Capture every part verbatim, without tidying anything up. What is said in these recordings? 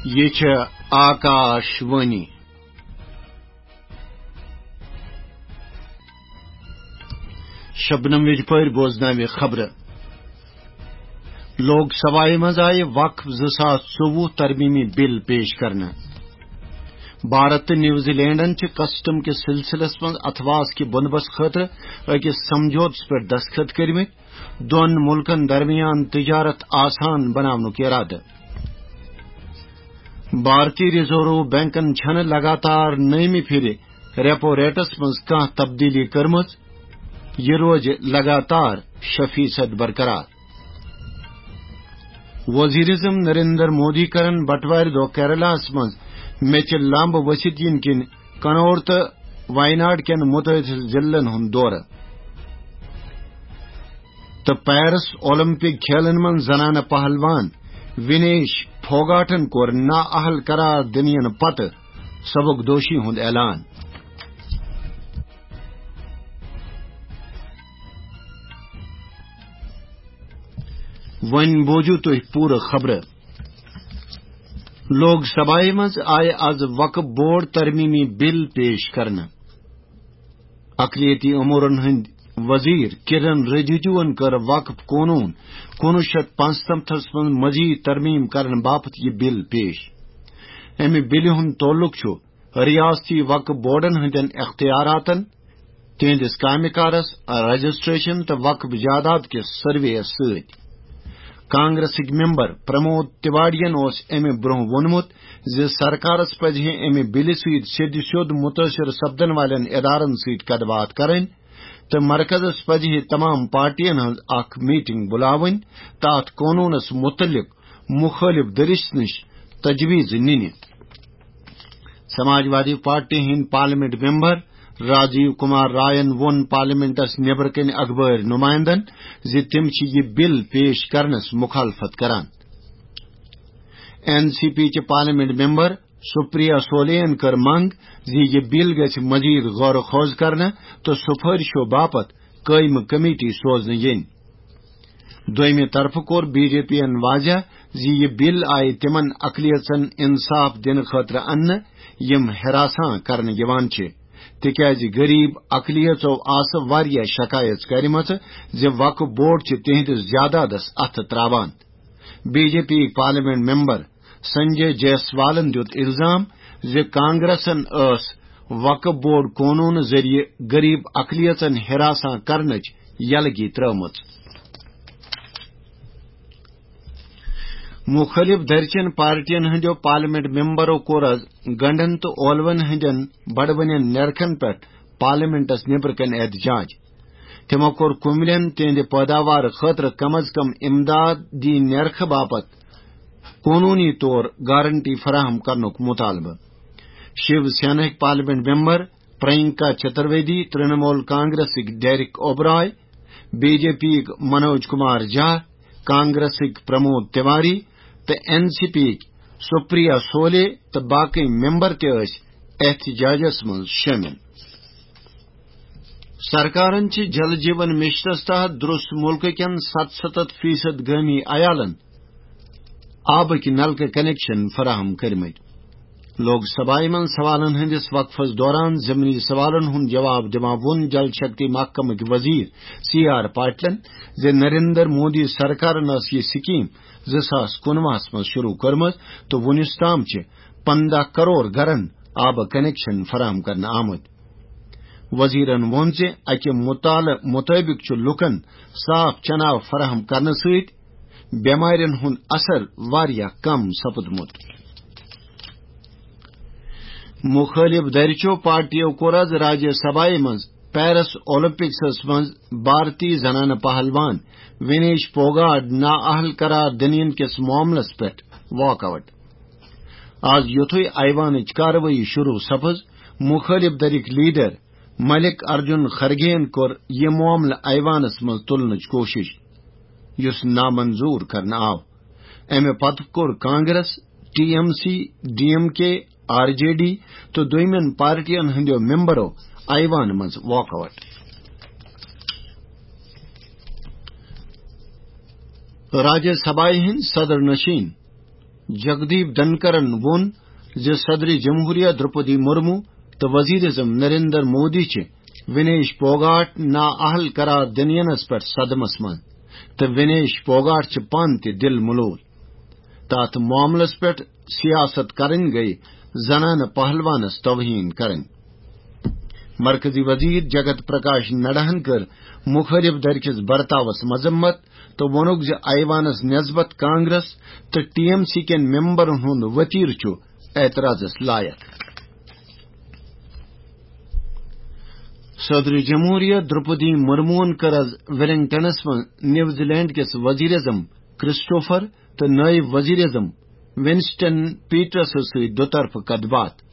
یہِ چھِ آکاش وانی۔ شبنم وجپٲرۍ بوزناوِ خبرٕ۔ لوک سبھایہِ منٛز آیہِ وقف زٕ ساس ژوٚوُہ ترمیمی بل پیش کرنہٕ۔ بھارت تہٕ نیوزی لینڈن چھِ کسٹم کِس سلسلس منٛز اتھواس کہِ بندوبست خٲطرٕ أکِس سمجھوتس پٮ۪ٹھ دستخط کٔرمٕتۍ۔ دۄن مُلکن درمیان تجارت آسان بناونُک ارادٕ۔ بھارتی ریزرو بینکن چھنہٕ لگاتار نٔیمہِ پھرِ ریپو ریٹس منٛز کانٛہہ تبدیلی کٔرمٕژ۔ یہِ روزِ لگاتار شےٚ فیصد برقرار۔ وزیر اعظم نریندر مودی کرن بٹوارِ دۄہ کیرلاہس منٛز میٚژِ لمب ؤسِتھ یِنہٕ کِنۍ کنور تہٕ ویناڈ کٮ۪ن متٲثر ضلعن ہُنٛد دورٕ۔ تہٕ پیرس اولمپک کھیلن منٛز زنانہٕ پہلوان ونیش پھوگاٹن کوٚر نااہل قرار دِنہٕ یِنہٕ پتہٕ سبکدوشی ہُنٛد اعلان۔ وۄنۍ بوزِو تُہۍ پوٗرٕ خبرٕ۔ لوک سبھایہ منٛز آیہِ از وقف بورڈ ترمیمی بل پیش کرنہٕ۔ اقلیتی امورن ہٕنٛدۍ وزیر کرن رجیجوَن کٔر وقف قونوٗن کُنوُہ شیٚتھ پانٛژنمتھس منٛز مزید ترمیم کرنہٕ باپتھ یہِ بل پیش۔ امہِ بلہِ ہُنٛد تعلق چھُ ریاستی وقف بورڈن ہٕنٛدٮ۪ن اختیاراتن، تِہنٛدِس کامہِ کارس، رجسٹریشن تہٕ وقف جائیداد کِس سروے یَس سۭتۍ۔ کانگریسٕکۍ ممبر پرمود تیواڑیَن اوس امہِ برونٛہہ ووٚنمُت زِ سرکارس پزِ ہے امہِ بلہِ سۭتۍ سیٚدِ سیوٚد مُتٲثر سپدن والٮ۪ن ادارن سۭتۍ کتھ باتھ کرٕنۍ تہٕ مرکزس پزِ ہے تمام پارٹین ہٕنٛز اکھ میٹنگ بُلاوٕنۍ تہٕ اتھ قونوٗنس مُتعلق مُخٲلِف دٔرِش نِش تجویز نِنہِ۔ سماجوادی پارٹی ہٕنٛدۍ پارلیمنٹ ممبر راجیو کمار رائن ووٚن پارلیمنٹس نیبرٕ کنہِ اخبٲرۍ نمائندن زِ تِم چھِ یہِ بل پیش کرنس مخالفت کران۔ این سی پی چہِ پارلیمنٹ ممبر سپریا سولے ین کٔر منٛگ زِ یہِ بل گژھِ مزید غور و خوض کرنہٕ تہٕ سفٲرشو باپتھ قٲیمہٕ کمیٹی سوزنہٕ یِنۍ۔ دوٚیمہِ طرفہٕ کوٚر بی جے پی ین واضح زِ یہِ بل آیہِ تِمن اقلیژن انصاف دِنہٕ خٲطرٕ اننہٕ یِم ہراساں کرنہٕ یِوان چھِ، تِکیازِ غریب اقلیژو آسہٕ واریاہ شکایژ کرِمژٕ زِ وقف بورڈ چھِ تِہنٛدِس جائیدادس اتھٕ تراوان۔ B J P parliament member Sanjay جیسوالن دیُت الزام زِ کانگریسن ٲس وقف بورڈ قونوٗنہٕ ذٔریعہٕ غریب اقلیژن ہراساں کرنٕچ یلگی ترٲومٕژ۔ مُخٲلِف دھرِ چٮ۪ن پارٹین ہٕنٛدیو پارلیمنٹ ممبرو کوٚر از گنڈن تہٕ اولون ہٕنٛدٮ۪ن بڑوٕنٮ۪ن نیرخن پٮ۪ٹھ پارلیمنٹس نیبرٕ کنہِ احتجاج۔ تِمو کوٚر کُملٮ۪ن تِہنٛدِ پٲداوار خٲطرٕ کم از کم امدادی نیرخہٕ باپتھ قونوٗنی طور گارنٹی فراہم کرنُک مطالبہٕ۔ شیو سینہٕکۍ پارلیمنٹ ممبر پرینکا چترویدی، ترنمول کانگریسٕکۍ Derek O'Brien, B J P یٕکۍ منوج کمار جھا، کانگریسٕکۍ پرمود تیواری تہٕ این سی پی یٕکۍ سپریا سولے تہٕ باقی ممبر تہِ ٲسۍ احتجاجس منٛز شٲمِل۔ سرکارن چھِ جل جیون مشنس تحت درست ملکہٕ کٮ۪ن ستستھ فیصد گٲمی عیالن آبٕکۍ نلکہٕ کنکشن فراہم کٔرمٕتۍ۔ لوک سبھایہ منٛز سوالن ہٕنٛدِس وقفس دوران ضمنی سوالن ہُنٛد جواب دِوان ووٚن جل شکتی محکمٕکۍ وزیر سی آر پاٹلن زِ نریندر مودی سرکارن ٲس یہِ سکیٖم زٕ ساس کُنوُہس منٛز شروع کٔرمٕژ تہٕ وُنیُس تام چھِ پنٛداہ کرور گرن آبہٕ کنکشن فراہم کرنہٕ آمٕتۍ۔ وزیرن ووٚن زِ اَکہِ مطالعہٕ مُطٲبِق چھُ لوٗکَن صاف چنہٕ آب فراہم کرنہٕ سۭتۍ بٮ۪مارٮ۪ن ہُنٛد اثر واریاہ کم سپُدمُت۔ مُخٲلِف دھرِ چٮ۪و پارٹیو کوٚر آز راجیہ سبھایہ منٛز پیرس اولمپکسس منٛز بھارتی زنانہٕ پہلوان وینیش پوگاٹ نااہل قرار دِنہٕ یِنہٕ کِس معاملس پٮ۪ٹھ واک آوٹ۔ آز یُتھُے ایوانٕچ کاروٲیی شروع سپٕز، مُخٲلِف دھرٕکۍ لیڈر ملک ارجن خرگے یَن کوٚر یہِ معاملہٕ ایوانس منٛز تُلنٕچ کوٗشش، یُس نامنظور کرنہٕ آو۔ امہِ پتہٕ کوٚر Congress, T M C, D M K, R J D تہٕ دوٚیمٮ۪ن پارٹین ہٕنٛدیو ممبرو ایوان منٛز واک آوٹ۔ راجیہ سبھایہ ہٕنٛدۍ صدر نشین جگدیپ دھنکرن ووٚن زِ صدر جمہوریہ درپدی مرمو تہٕ وزیر اعظم نریندر مودی چھِ ونیش پوگاٹ نااہل قرار دِنہٕ ینس پٮ۪ٹھ صدمس منٛز تہٕ ونیش پوگاٹ چھِ پانہٕ تہِ دِل ملوٗل۔ تہٕ اتھ معاملس پٮ۪ٹھ سیاست کرٕنۍ گٔیہِ زنانہٕ پہلوانس توہین کرٕنۍ۔ مرکزی وزیر جگت پرکاش نڈاہن کٔر مخٲلف دھرِ کِس برتاوس مذمت تہٕ ووٚنُکھ زِ ایوانس نسبت کانگریس تہٕ ٹی ایم سی کٮ۪ن ممبرن ہُنٛد ؤتیٖر چھُ اعتراضس لایق۔ صدر جمہوریہ درپدی مرموہن کٔر از ویلنگٹنس منٛز نیوزی لینڈ کِس وزیر اعظم کرسٹوفر تہٕ نائب وزیر اعظم ونسٹن پیٹرس سۭتۍ دُطرفہٕ کتھ باتھ۔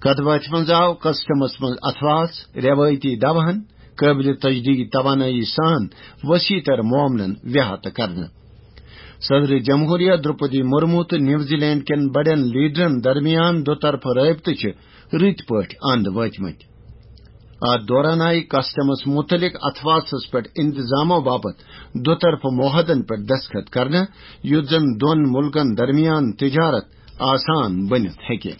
کتھ باتھِ منٛز آو کسٹمس منٛز اثاثہٕ، روایتی دوہن، قٲبلِ تجدید توانٲیی سان وسیع تر معاملن احاطہٕ کرنہٕ۔ صدر جمہوریہ درپدی مرمو تہٕ نیوزی لینڈ کٮ۪ن بڑٮ۪ن لیڈرن درمیان دُطرفہٕ رٲبطہٕ چھِ رٕتۍ پٲٹھۍ اند وٲتمٕتۍ۔ اتھ دوران آیہِ کسٹمس متعلق اثاثس پٮ۪ٹھ انتظامو باپتھ دُطرفہٕ معاہدن پٮ۪ٹھ دستخط کرنہٕ، یُتھ زن دۄن ملکن درمیان تجارت آسان بٔنِتھ ہیٚکہِ۔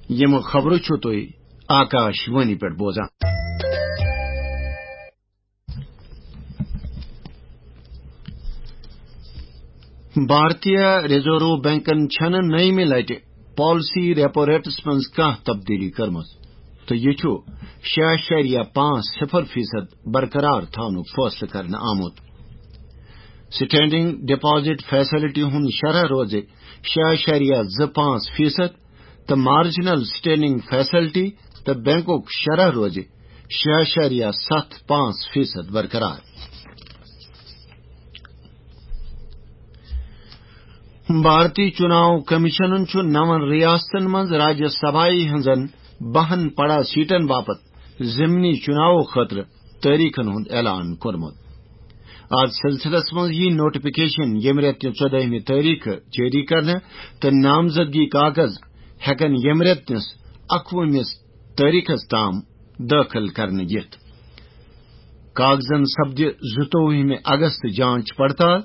یِم خبرٕ چھِو تُہۍ آکاش وانی پٮ۪ٹھ بوزان۔ بھارتیہ ریزرو بینکن چھنہٕ نٔیمہِ لٹہِ پالیسی ریپو ریٹس منٛز کانٛہہ تبدیلی کٔرمٕژ تہٕ یہِ چھُ شےٚ اعشاریہ پانٛژھ صفر فیصد برقرار تھاونُک فٲصلہٕ کرنہٕ آمُت۔ سٹینڈنگ ڈپازٹ فیسلٹی ہُنٛد شرح روزِ شےٚ اعشاریہ زٕ پانٛژھ فیصد تہٕ مارجنل سٹینڈنگ فیسلٹی تہٕ بینکُک شرح روزِ شےٚ اعشاریہ ستھ پانٛژھ فیصد برقرار۔ بھارتی چناو کمیشنن چھُ نون ریاستن منٛز راجیہ سبھایہ ہٕنٛزن بہن پڑا سیٹن باپتھ ضمنی چناو خٲطرٕ تٲریخن ہُنٛد اعلان کوٚرمُت۔ اتھ سلسلس منٛز یی نوٹیفکیشن ییٚمہِ رٮ۪تہٕ کہِ ژۄدٲہمہِ تٲریخہٕ جٲری کرنہٕ تہٕ نامزدگی کاغذ ہٮ۪کن ییٚمہِ رٮ۪تہٕ کِس اکوُہمِس تٲریخس تام دٲخل کرنہٕ یِتھ۔ کاغذن سپدِ زٕتووُہمہِ اگست جانچ پڑتال،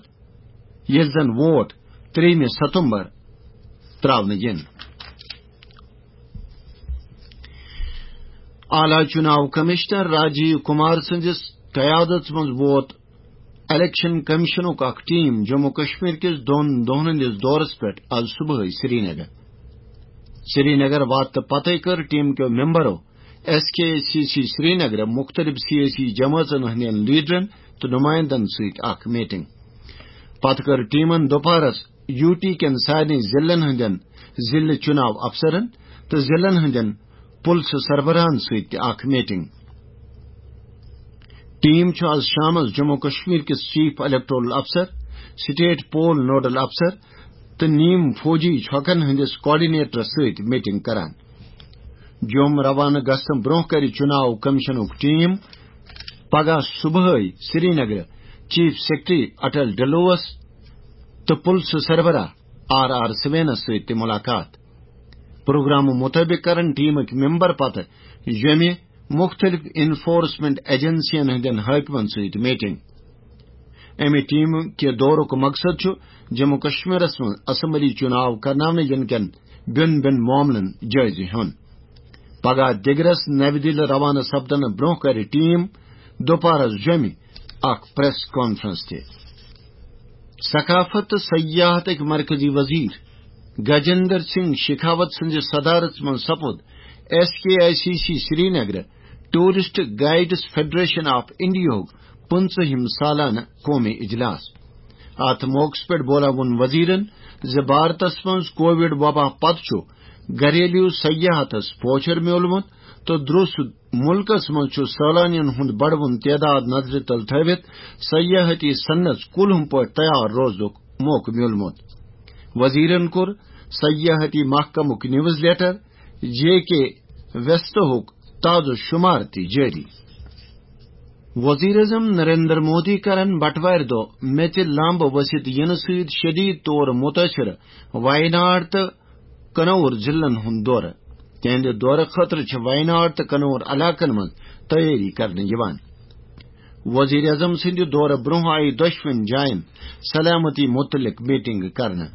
ییٚلہِ زن ووٹ ترٛیٚیِمہِ ستمبر ترٛاونہٕ یِن۔ اعلیٰ چناو کمشنر راجیو کمار سٕنٛدِس قیادتس منٛز ووت الیکشن کمیشنُک اکھ ٹیم جموں کشمیر کِس دۄن دۄہن ہٕنٛدِس دورس پٮ۪ٹھ از صبحٲے سرینگر۔ سرینگر واتنہٕ پتَے کٔر ٹیم کیو ممبرو ایس کے سی سی سرینگر مختلف سیٲسی جمٲژن ہٕنٛدٮ۪ن لیڈرن تہٕ نمائندن سۭتۍ اکھ میٹنگ۔ پتہٕ کٔر ٹیمن دُپہرس یو ٹی کٮ۪ن سارنٕے ضلعن ہٕنٛدٮ۪ن ضلعہٕ چُناو افسرن تہٕ ضلعن ہٕنٛدٮ۪ن پُلسہٕ سربراہن سۭتۍ تہِ اکھ میٹنگ۔ ٹیم چھُ از شامس جموں کشمیر کِس چیف الیکٹورل افسر، سٹیٹ پول نوڈل افسر تہٕ نیم فوجی چھۄکن ہٕنٛدِس کوآرڈینیٹرس سۭتۍ میٹنگ کران۔ جوٚم روانہٕ گژھنہٕ برٛونٛہہ کرِ چُناو کمیشنُک ٹیم پگاہ صبحٲے سرینگرٕ چیف سیکرٹری اٹل ڈلوس تہٕ پُلسہٕ سربراہ آر آر سوینس سۭتۍ تہِ مُلاقات۔ پروگرامہٕ مُطٲبِق کرن ٹیمٕکۍ ممبر پتہٕ جوٚمہِ مُختٔلِف انفورسمنٹ ایجنسین ہٕنٛدٮ۪ن حٲکمن سۭتۍ میٹنگ۔ امہِ ٹیمہٕ کہِ دورُک مقصد چھُ جموں کشمیرس منٛز اسمبلی چُناو کرناونہٕ یِنہٕ کٮ۪ن بیوٚن بیوٚن معاملن جٲیزٕ ہیوٚن۔ پگاہ دِگرس نَوِ دِلہِ روانہٕ سپدنہٕ برٛونٛہہ کرِ ٹیم دُپہرس جوٚمہِ اکھ پریس کانفرنس تہِ۔ ثقافت تہٕ سیاحتٕکۍ مرکزی وزیر گجندر سنگھ شیخاوت سٕنٛزِ صدارت منٛز سپُد S K I C C Srinagar tourist guides federation of انڈیاہُک پٕنٛژٕہِم سالانہٕ قومی اجلاس۔ اتھ موقعس پٮ۪ٹھ بولا ووٚن وزیرن زِ بھارتس منٛز کووڈ وبا پتہٕ چھُ گھریلو سیاحتس پوچھر میولمُت تہٕ درست مُلکس منٛز چھُ سٲلانین ہُنٛد بڑوُن تعداد نظرِ تل تھٲوِتھ سیاحتی صنعت کُلہُم پٲٹھۍ تیار روزنُک موقعہٕ میولمُت۔ وزیرن کوٚر سیاحتی محکمُک نیوز لیٹر جے کے ویستہُک تازٕ شمار تہِ جٲری۔ وزیر اعظم نریندر مودی کرن بٹوارِ دۄہ میٚژِ لمب ؤسِتھ یِنہٕ سۭتۍ شدید طور متٲثر ویناڈ تہٕ کنور ضلعن ہُنٛد دورٕ۔ تِہنٛدِ دورٕ خٲطرٕ چھِ ویناڈ تہٕ کنور علاقن منٛز تیٲری کرنہٕ یِوان۔ وزیر اعظم سٕنٛدِ دورٕ برٛونٛہہ آیہِ دۄشوٕنی جاین سلامتی متعلق میٹنگ کرنہٕ۔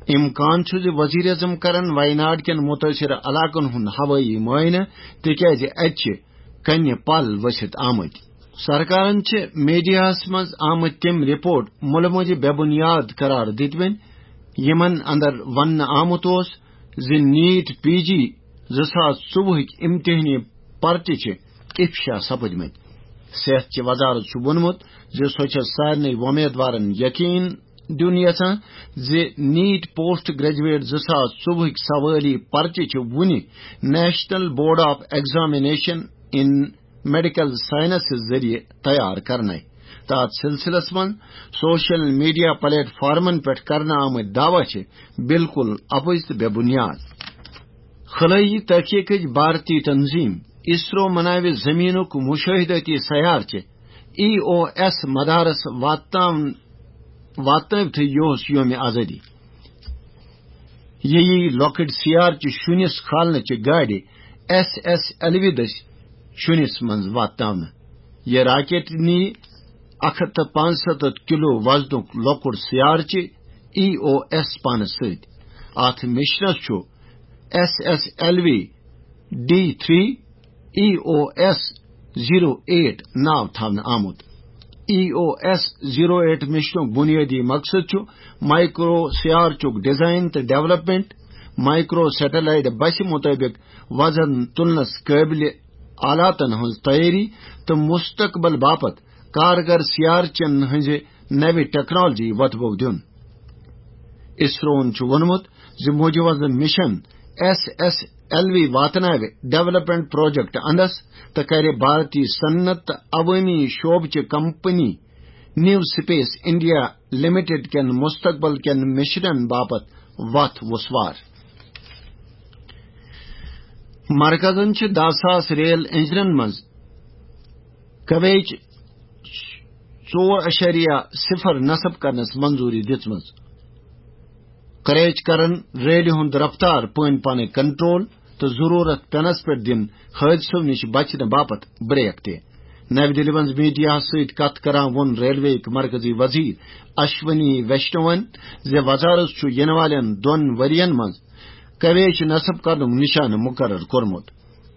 امکان چھُ زِ وزیر اعظم کرن ویناڈ کٮ۪ن متٲثرٕ علاقن ہُنٛد ہوٲیی معائنہٕ، تِکیازِ اتہِ چھِ کنہِ پل ؤسِتھ آمٕتۍ۔ سرکارن چھِ میڈیاہس منٛز آمٕتۍ تِم رپورٹ مُلہٕ مۄنجہِ بے بُنیاد قرار دِتمٕتۍ، یِمن اندر وننہٕ آمُت اوس زِ نیٹ پی جی زٕ ساس ژوٚوُہٕکۍ امتحٲنی پرچہِ چھِ افشا سپٕدمٕتۍ۔ صحت چہِ وزارت چھُ ووٚنمُت زِ سۄ چھےٚ سارنٕے وۄمیدوارن یقین دیُن یژھان زِ نیٹ پوسٹ گریجویٹ زٕ ساس ژوٚوُہٕکۍ سوٲلی پرچہِ چھِ وُنہِ national board of examination in medical sciences ذٔریعہٕ تیار کرنَے۔ تہٕ اتھ سلسلس منٛز سوشل میڈیا پلیٹ فارمن پٮ۪ٹھ کرنہٕ آمٕتۍ دعویٰ چھِ بالکل اپُز تہٕ بے بنیاد۔ خلٲیی تحقیقٕچ بھارتی تنظیم اسرو مناوِ زمینُک مشاہدٲتی سیارچہِ ای او ایس مدارس واتناون-، واتنٲوتھٕے یوس یوم آزادی۔ یہِ یی لۄکٕٹۍ سیارچہِ شُنِس کھالنٕچہِ گاڑِ ایس ایس ایل وی دٔسۍ شُنِس منٛز واتناونہٕ۔ یہِ راکٹ نی اکھ ہتھ تہٕ پانٛژستتھ کلو وزنُک لۄکُٹ سیارچہِ ای او ایس پانس سۭتۍ۔ اتھ مشنس چھُ S S L V D three E O S zero eight ناو تھاونہٕ آمُت۔ E O S zero eight مشنُک بنیٲدی مقصد چھُ مائیکرو سیارچُک ڈیزائن تہٕ ڈیولپمنٹ، مائیکرو سیٹلائٹ بسہِ مطٲبق وزن تُلنس قٲبلِ آلاتن ہٕنٛز تیٲری تہٕ مستقبل باپتھ کارگر سیارچن ہٕنٛزِ نوِ ٹیکنالوجی وۄتھٕ بو دیُن۔ اسروہن چھُ ووٚنمُت زِ مجوزہ mission S S L V واتناوِ ڈیولپمنٹ پروجیکٹ اندس تہٕ کرِ بھارتی صنعت تہٕ عوٲمی شعبہٕ چہِ company new space India limited کٮ۪ن مستقبل کٮ۪ن مشنن باپتھ وتھ وسوار۔ مرکزن چھِ دَہ ساس ریل انجنن منٛز کویچ ژور اعشاریہ صفر نصب کرنس منظوری دِژمٕژ۔ کویچ کرن ریلہِ ہُنٛد رفتار پٲنۍ پانے کنٹرول تہٕ ضروٗرت پینس پٮ۪ٹھ دِن حٲدثو نِش بچنہٕ باپتھ بریک تہِ۔ نَوِ دِلہِ منٛز میڈیاہَس سۭتۍ کتھ کران ووٚن ریلوے یِکۍ مرکزی وزیر اشونی ویشنون زِ وزارت چھُ یِنہٕ والٮ۪ن دۄن ؤرین منٛز کویچ نصب کرنُک نشانہٕ مقرر کوٚرمُت۔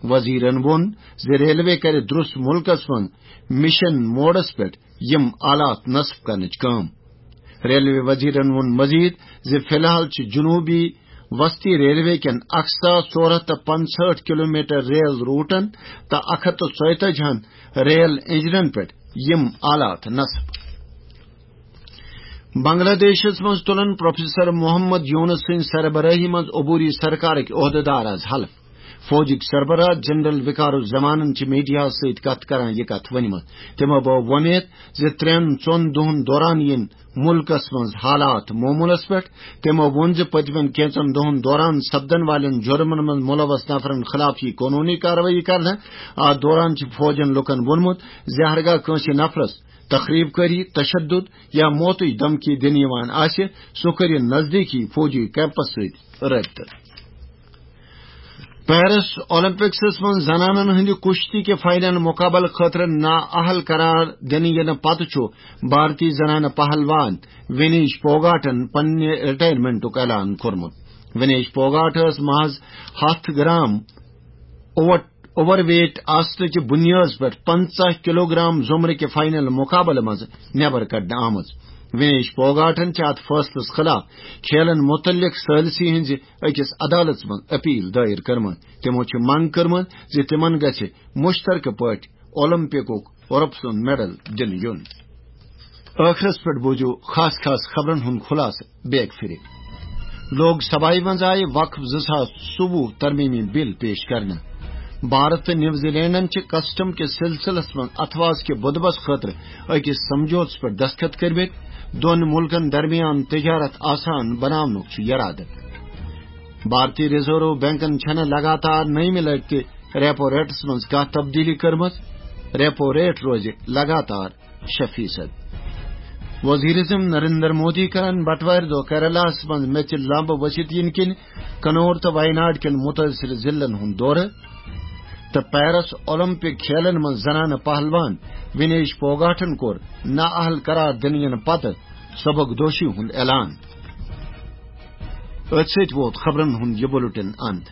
وزیرن ووٚن زِ ریلوے کرِ درست مُلکس منٛز مشن موڈس پٮ۪ٹھ یِم آلات نصب کرنٕچ کٲم۔ ریلوے وزیرن ووٚن مزید زِ فی الحال چھِ جنوبی وسطی ریلوے کٮ۪ن اکھ ساس ژور ہتھ تہٕ پنٛژہٲٹھ کلومیٹر ریل روٹن تہٕ اکھ ہتھ تہٕ ژۄیتٲجی ہن ریل انجنن پٮ۪ٹھ یِم آلات نصب۔ بنگلہ دیشس منٛز تُلن پروفیسر محمد یونس سٕنٛز سربرٲہی منٛز عبوری سرکارٕکۍ عہدٕدار از حلف۔ فوجٕکۍ سربراہ جنرل وقار الزمانن چھِ میڈیاہَس سۭتۍ کتھ کران یہِ کتھ ؤنمٕژ۔ تِمو بٲو وۄمید زِ ترٛٮ۪ن ژۄن دۄہن دوران یِن مُلکس منٛز حالات معموٗلس پٮ۪ٹھ۔ تِمو ووٚن زِ پٔتمٮ۪ن کینٛژن دۄہن دوران سپدن والٮ۪ن جُرمن منٛز مُلوث نفرن خلاف یِیہِ قونوٗنی کاروٲیی کرنہٕ۔ اتھ دوران چھُ فوجن لُکن ووٚنمُت زِ ہرگاہ کٲنٛسہِ نفرس تخریب کٲری، تشدد یا موتٕچ دھمکی دِنہٕ یِوان آسہِ، سُہ کٔرِن نزدیٖکی فوجی کیمپس سۭتۍ رٲبطہٕ۔ پیرس اولمپکسس منٛز زنانن ہٕنٛدِ کُشتی کہِ فاینل مقابلہٕ خٲطرٕ نااہل قرار دِنہٕ یِنہٕ پتہٕ چھُ بھارتی زنانہٕ پہلوان ونیش پوگاٹن پننہِ رٹائرمنٹُک اعلان کوٚرمُت۔ ونیش پوگاٹ ٲس محض ہَتھ گرام اوٹ-، اوور ویٹ آسنہٕ کہِ بُنیٲدس پٮ۪ٹھ پنٛژاہ کلوگرام زمرٕ کہِ فاینل مقابلہٕ منٛز نٮ۪بر کڑنہٕ آمٕژ۔ وینیش پوگاٹن چھِ اتھ فٲصلس خلاف کھیلن متعلق ثالثی ہٕنٛزِ أکِس عدالتس منٛز اپیل دائر کٔرمٕژ۔ تِمو چھِ منگ کٔرمٕژ زِ تِمن گژھِ مشترکہٕ پٲٹھۍ اولمپکُک رۄپسُن میڈل دِنہٕ یُن۔ ٲخرس پٮ۪ٹھ بوٗزِو خاص خاص خبرن ہُنٛد خلاصہٕ بیک پھرِ۔ لوک سبھایہ منٛز آیہِ وقف زٕ ساس ژوٚوُہ ترمیمی بل پیش کرنہٕ۔ بھارت تہٕ نیوزی لینڈن چھِ کسٹم کِس سلسلس منٛز اتھوارس کہِ بُدوس خٲطرٕ أکِس سمجھوتس پٮ۪ٹھ دستخط کٔرمٕتۍ۔ دۄن مُلکن درمیان تجارت آسان بناونُک چھُ یرادٕ۔ بھارتی ریزرو بینکن چھَنہٕ لگاتار نٔیمہِ لٹہِ تہِ ریپو ریٹس منٛز کانٛہہ تبدیلی کٔرمٕژ۔ ریپو ریٹ روزِ لگاتار شےٚ فیصد۔ وزیر اعظم نریندر مودی کرن بٹوارِ دۄہ کیرلاہس منٛز میٚژِ لمبہٕ ؤسِتھ یِنہٕ کِنۍ کنور تہٕ ویناڈ کٮ۪ن مُتٲثر ضلعن ہُنٛد دورٕ۔ تہٕ پیرس اولمپک کھیلن منٛز زنانہٕ پہلوان ونیش پھوگاٹن کوٚر نااہل قرار دِنہٕ ینہٕ پتہٕ سبکدوشی ہُنٛد اعلان۔ أتھۍ سۭتۍ ووت خبرن ہُنٛد یہِ بُلٹن اند۔